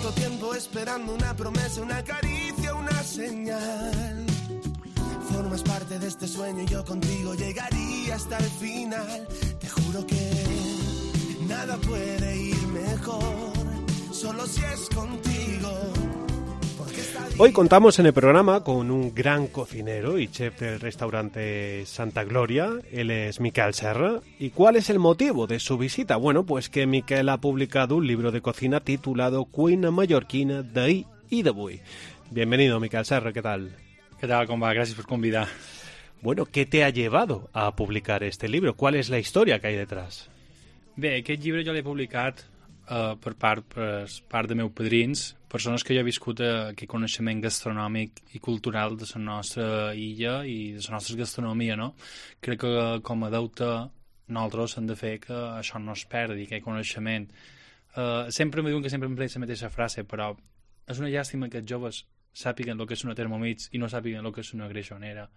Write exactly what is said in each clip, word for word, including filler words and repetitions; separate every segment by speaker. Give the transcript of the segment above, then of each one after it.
Speaker 1: tanto tiempo esperando una promesa, una caricia, una señal. Formas parte de este sueño y yo contigo llegaría hasta el final. Te juro que nada puede ir mejor, solo si es contigo.
Speaker 2: Hoy contamos en el programa con un gran cocinero y chef del restaurante Santa Gloria. Él es Miquel Serra. ¿Y cuál es el motivo de su visita? Bueno, pues que Miquel ha publicado un libro de cocina titulado Cuina mallorquina d'ahir i d'avui. Bienvenido, Miquel Serra, ¿qué tal?
Speaker 3: ¿Qué tal, com va? Gràcies per convidar.
Speaker 2: Bueno, ¿qué te ha llevado a publicar este libro? ¿Cuál es la historia que hay detrás?
Speaker 3: Bé, aquest llibre jo l'he publicat uh, per part, per part de meus padrins, persones que jo he viscut aquest coneixement gastronòmic i cultural de la nostra illa i de la nostra gastronomia, no? Crec que com a deute nosaltres hem de fer que això no es perdi, aquest coneixement. Uh, sempre me diuen que sempre em la mateixa frase, però és una llàstima que els joves sàpiguen el que és una Thermomix i no sàpiguen el que és una greixonera.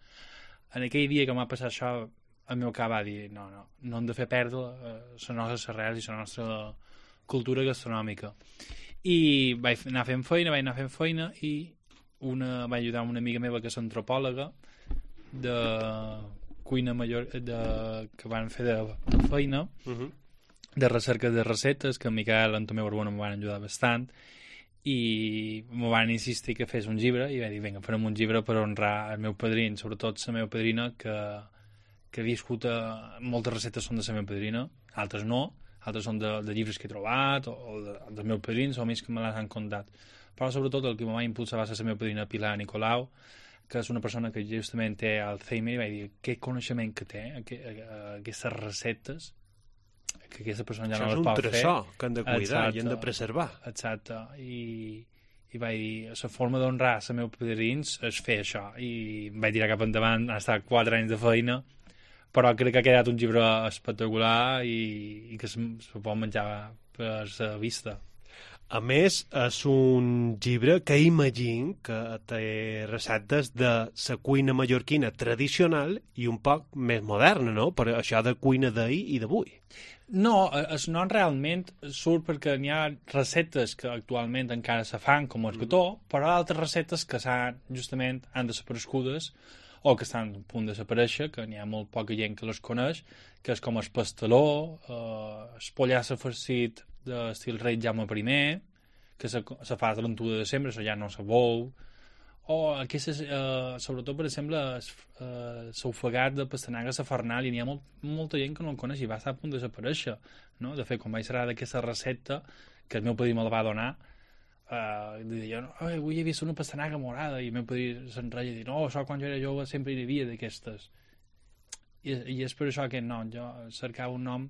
Speaker 3: En aquell dia que m'ha passat això, el meu cap va dir, no, no, no hem de fer perdre uh, les nostres arrels i la nostra cultura gastronòmica. I vaig anar fent feina, vaig anar fent feina i una, vaig ajudar una amiga meva que és antropòloga de cuina major, de, que van fer de, de feina, uh-huh. de recerca de receptes, que en Miquel i en Tomeu Arbona m'ho van ajudar bastant, i m'ho van insistir que fes un llibre, i vaig dir, vinga, farem un llibre per honrar el meu padrí, sobretot la meva padrina, que, que ha viscut a, moltes receptes són de la meva padrina, altres no, altres són de, de llibres que he trobat, o, o de, dels meus padrins, o més que me les han contat. Però sobretot el que me va impulsar va ser la meva padrina Pilar Nicolau, que és una persona que justament té Alzheimer, i vaig dir, què coneixement que té, que, aquestes receptes, que aquesta persona ja no les pot fer.
Speaker 2: És un tresor que han de cuidar. Exacte, i han de preservar.
Speaker 3: Exacte, i, i vaig dir, la forma d'honrar els meus padrins és fer això, i vaig tirar cap endavant, ha estat quatre anys de feina, però crec que ha quedat un llibre espectacular i, i que se, se pot menjar per la vista.
Speaker 2: A més, és un llibre que imagino que té receptes de la cuina mallorquina tradicional i un poc més moderna, no? Per això de cuina d'ahir i d'avui.
Speaker 3: No, el nom realment surt perquè n'hi ha receptes que actualment encara se fan, com el gató, mm. però altres receptes que s'han, justament, han desaparegudes o que estan a punt de desaparèixer, que n'hi ha molt poca gent que les coneix, que és com el pasteló, eh, el pollassa farcit d'estil rei Jaume primer, que se, se fa a trenta-u de desembre, això ja no se veu, o aquestes, eh, sobretot, per exemple, l'ofegat de pastanaga safernal, i n'hi ha molt, molta gent que no el coneix i va estar a punt de desaparèixer, no? De fet, quan vaig serà d'aquesta recepta, que el meu padrí me la va donar, Uh, deia, no, avui he vist una pastanaga morada, i el meu padrí s'enreia i dir, no, això quan jo era jove sempre hi havia d'aquestes, I, i és per això que no, jo cercava un nom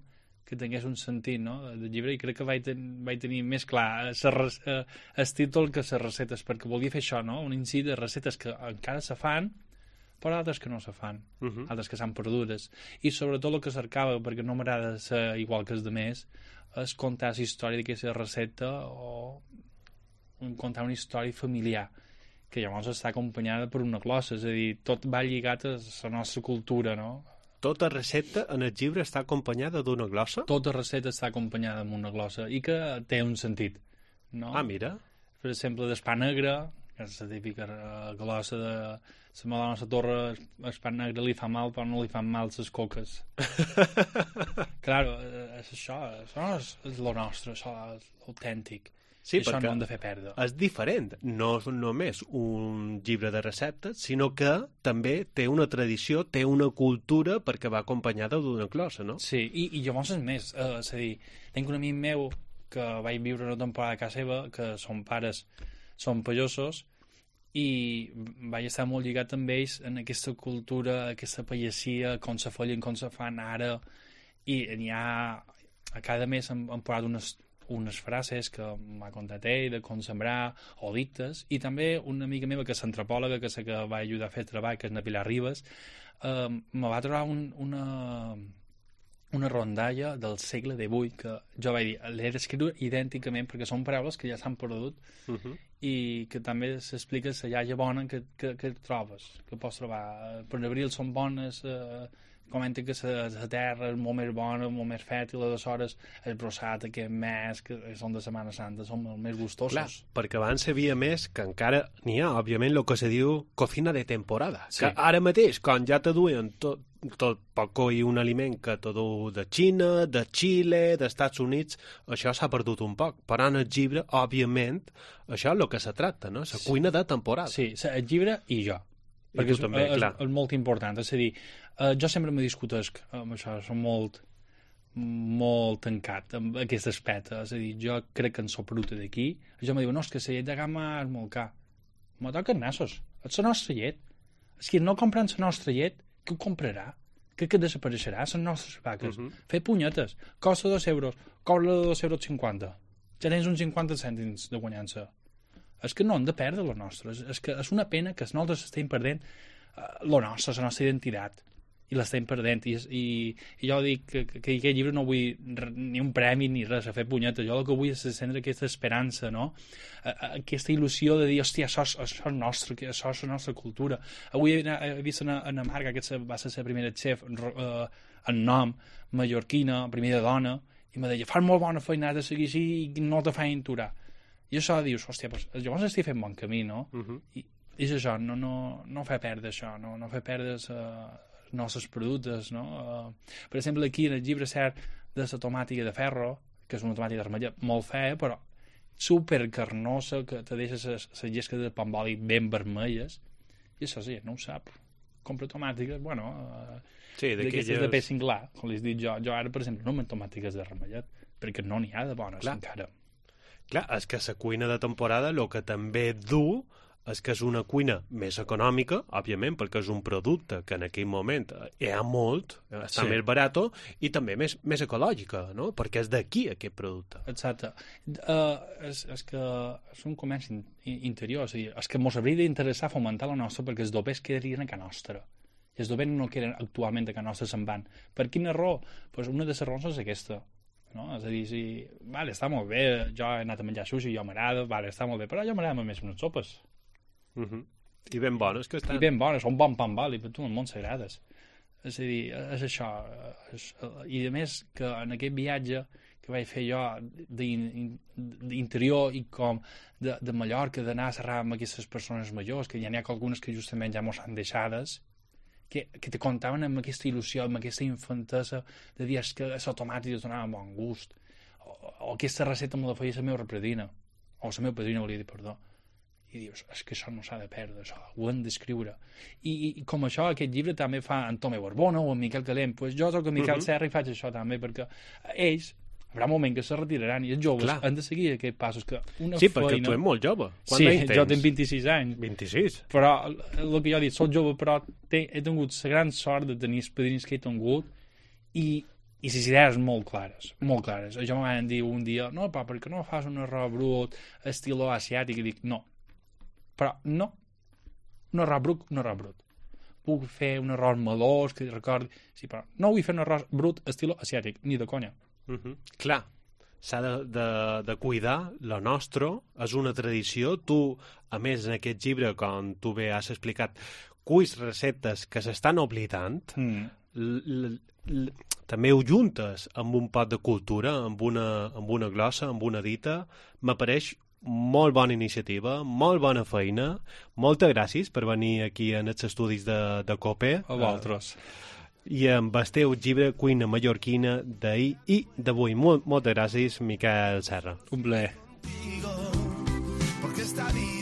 Speaker 3: que tingués un sentit, no?, de llibre, i crec que vaig, ten, vaig tenir més clar el títol que les receptes, perquè volia fer això, no?, un incís de receptes que encara se fan, però altres que no se fan, uh-huh. altres que s'han perdudes, i sobretot el que cercava, perquè no m'agrada ser igual que els demés, és contar la història d'aquesta recepta o contar una història familiar, que llavors està acompanyada per una glossa, és a dir, tot va lligat a la nostra cultura, no?
Speaker 2: Tota recepta en el llibre està acompanyada d'una glossa?
Speaker 3: Tota recepta està acompanyada amb una glossa, i que té un sentit, no?
Speaker 2: Ah, mira. Per
Speaker 3: exemple, d'espà negre, que és la típica glossa de la Madonna a la Torre, espà negre li fa mal, però no li fan mal les coques. Claro, és això, això és, és lo nostre, això és autèntic.
Speaker 2: Sí,
Speaker 3: això
Speaker 2: perquè
Speaker 3: no hem de fer perdre.
Speaker 2: És diferent, no és només un llibre de receptes, sinó que també té una tradició, té una cultura perquè va acompanyada d'una glossa, no?
Speaker 3: Sí, i, i llavors és més, eh, és a dir, tinc un amic meu que vaig viure una temporada a casa seva, que són pares, són pagesos, i vaig estar molt lligat amb ells en aquesta cultura, aquesta pagesia, com se follen, com se fan ara, i n'hi ha, a cada mes hem, hem posat unes unes frases que m'ha contat ell de com sembrar, o dictes, i també una amiga meva que és antropòloga, que sé que va ajudar a fer treball, que és na Pilar Ribas, eh, me va trobar un, una, una rondalla del segle divuit, que jo vaig dir, l'he d'escriure idènticament, perquè són paraules que ja s'han perdut, uh-huh. i que també s'explica la llaia bona que, que, que trobes, que pots trobar. Per abril són bones, eh, comenta que la, la terra és molt més bona, molt més fèrtil, aleshores el brossat aquest mes, que són de Setmana Santa, són molt més gustosos.
Speaker 2: Clar, perquè abans havia més que encara n'hi ha, òbviament, el que se diu cocina de temporada. Sí. Que ara mateix, quan ja te duen tot, tot pot coir un aliment que te du de Xina, de Xile, dels Estats Units, això s'ha perdut un poc. Però en el llibre, òbviament, això és el que se tracta, no? La cuina de temporada.
Speaker 3: Sí, el llibre i jo.
Speaker 2: I perquè tu és, també,
Speaker 3: és,
Speaker 2: clar.
Speaker 3: És molt important. És a dir, eh, jo sempre me discutesc amb això, som molt molt tancat amb aquest aspecte. És a dir, jo crec que en soc producte d'aquí. Jo me diu, no, és que la llet de gamma és molt car. Me toquen nassos. És la nostra llet. És que no compren la nostra llet, què ho comprarà? Que, que desapareixerà? Són nostres vaques. Uh -huh. Fer punyetes. Costa dos euros. Cobra de dos euros cinquanta. Ja tens uns cinquanta cèntims de guanyança. És que no hem de perdre la nostra. És, és que és una pena que nosaltres estem perdent uh, la nostra, la nostra identitat. I l'estem perdent. I, i, i jo dic que, que, que aquest llibre no vull ni un premi ni res a fer punyetes. Jo el que vull és encendre aquesta esperança, no? Aquesta il·lusió de dir, hòstia, això, això és nostre, això és la nostra cultura. Avui he, he vist una, una marca que va ser la primera chef uh, en nom, mallorquina, primera dona, i me deia, fas molt bona feina de seguir així i no te feien aturar. I això dius, hòstia, pues, llavors estic fent bon camí, no? Uh -huh. I, i és això, no, no, no fer perdre això, no, no fer perdre uh, nostres productes, no? Uh, per exemple, aquí en el llibre cert de la tomàtica de ferro, que és una tomàtica d'armella molt fea, però supercarnosa, que te deixa les llesques de pamboli ben vermelles, i això sí, no ho sap. Compra tomàtiques, bueno, uh,
Speaker 2: sí,
Speaker 3: d'aquestes de peix singlar, com li he dit jo. Jo ara, per exemple, no m'en tomàtiques de ramellet, perquè no n'hi ha de bones. Clar. Encara.
Speaker 2: Clar, és que la cuina de temporada el que també du és que és una cuina més econòmica, òbviament, perquè és un producte que en aquell moment hi ha molt, està sí. més barat, i també més, més ecològica, no? Perquè és d'aquí aquest producte.
Speaker 3: Exacte. Uh, és, és que és un comerç in, interior, és, dir, és que ens hauria d'interessar fomentar la nostra perquè els dobers quedarien a casa nostra. I els dobers no queden actualment a casa nostra, se'n van. Per quina raó? Pues una de les raons és aquesta. No? És a dir, si, vale, està molt bé, jo he anat a menjar sushi, jo m'agrada, vale, està molt bé, però jo m'agrada més unes sopes.
Speaker 2: Uh -huh. I ben bones que estan.
Speaker 3: I ben bones, un bon pan bali, però tu en el món s'agrades. És a dir, és això. És, I a més, que en aquest viatge que vaig fer jo d'interior i com de, de Mallorca, d'anar a xerrar amb aquestes persones majors, que ja n'hi ha algunes que justament ja mos han deixades, que, que te contaven amb aquesta il·lusió, amb aquesta infantesa de dir que la tomàtica donava bon gust, o, o aquesta recepta me la feia la meva repredina, o la meva padrina, volia dir, perdó. I dius, és que això no s'ha de perdre, això, ho hem d'escriure. I, I, i com això, aquest llibre també fa en Tome Borbona o en Miquel Calent, pues jo soc en Miquel uh -huh. Serra i faig això també, perquè ells, hi haurà un moment que se retiraran i els joves Clar. han de seguir aquests passos. Que una
Speaker 2: sí,
Speaker 3: feina...
Speaker 2: perquè tu ets molt jove. Quant
Speaker 3: sí,
Speaker 2: anys tens?
Speaker 3: Jo tinc vint-i-sis anys.
Speaker 2: vint-i-sis?
Speaker 3: Però el que jo he dit, soc jove, però he, he tingut la gran sort de tenir els padrins que he tingut i i les idees molt clares, molt clares. Jo me van dir un dia, no, pa, perquè no fas un arròs brut, estiló asiàtic, i dic, no. Però no, un arròs brut, un arròs brut. Puc fer un arròs melós, que recordi... Sí, però no vull fer un arròs brut estil asiàtic, ni de conya.
Speaker 2: Uh -huh. Clar, s'ha de, de, de cuidar la nostra, és una tradició. Tu, a més, en aquest llibre, com tu bé has explicat, cuis receptes que s'estan oblidant, mm. l, l, l, també ho juntes amb un pot de cultura, amb una, amb una glossa, amb una dita. M'apareix molt bona iniciativa, molt bona feina. Moltes gràcies per venir aquí en els estudis de, de COPE.
Speaker 3: A vosaltres.
Speaker 2: Uh, I amb el teu llibre Cuina mallorquina d'ahir i d'avui. Molt, moltes gràcies, Miquel Serra.
Speaker 3: Un plaer.
Speaker 1: Porque esta vida